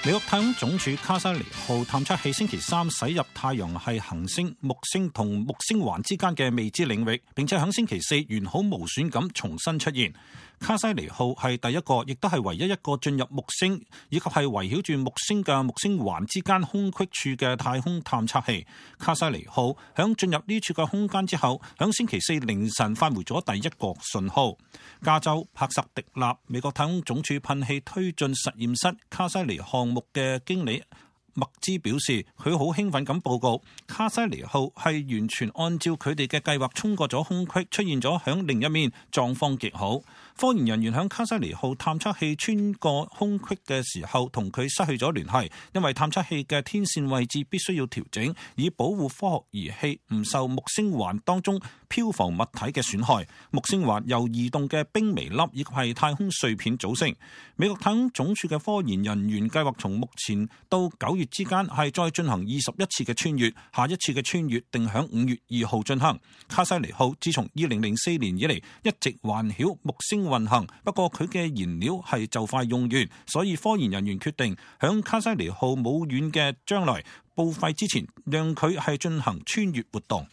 美國太空總署卡西尼號探測器星期三駛入太陽系行星木星同木星環之間嘅未知領域，並且喺星期四完好無損咁重新出現。卡西尼號係第一個，亦都係唯一一個進入木星以及係圍繞住木星嘅木星環之間空隙處嘅太空探測器。卡西尼號響進入呢處嘅空間之後，響星期四凌晨發回咗第一個信號。加州帕薩迪納美國太空總署噴氣推進實驗室卡西尼項目嘅經理麥茲表示，佢好興奮咁報告，卡西尼號係完全按照佢哋嘅計劃衝過咗空隙，出現咗響另一面，狀況極好。科研人員響卡西尼號探測器穿過空隙嘅時候，同佢失去咗聯繫，因為探測器嘅天線位置必須要調整，以保護科學儀器唔受木星環當中漂浮物體嘅損害。木星環由移動嘅冰微粒以及係太空碎片組成。美國太空總署嘅科研人員計劃從目前到9月之間係再進行21次嘅穿越，下一次嘅穿越定響5月2號進行。卡西尼號自從2004年以嚟一直環繞木星運行，不過佢嘅燃料係就快用完，所以科研人員決定響卡西尼號冇遠嘅將來報廢之前，讓佢係進行穿越活動。